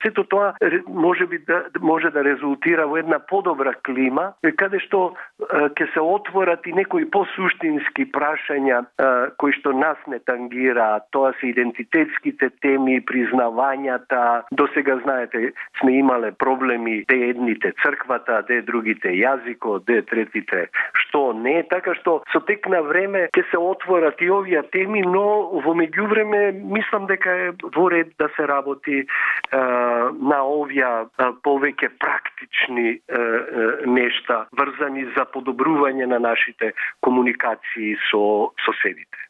сето тоа може да резултира во една подобра клима, каде што ќе се отворат и некои посуштински прашања кои што нас не тангираат. Тоа се идентитетските теми, признавањата. Досега, знаете, сме имале проблеми де едните црквата, де другите јазикот, де третите што не. Така што со тек на време ќе се отворат и овие теми, но во меѓувреме мислам дека е во ред да се работи на овие повеќе практични нешта врзани за подобрување на нашите комуникации со соседите.